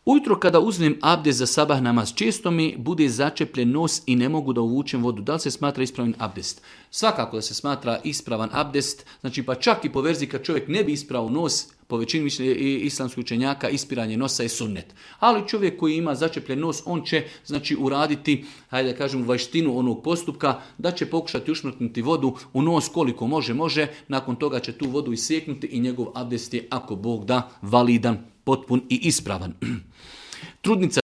Ujutro kada uzmem abdest za sabah namaz, često mi bude začepljen nos i ne mogu da uvučem vodu. Da li se smatra ispravan abdest? Svakako da se smatra ispravan abdest, znači pa čak i po verziji kad čovjek ne bi isprao nos, po većini islamskih učenjaka ispiranje nosa je sunnet. Ali čovjek koji ima začepljen nos, on će znači uraditi, hajde da kažem, vajštinu onog postupka, da će pokušati ušmrtnuti vodu u nos koliko može, nakon toga će tu vodu isjeknuti i njegov abdest je, ako Bog da, validan, potpun i ispravan. Trudnica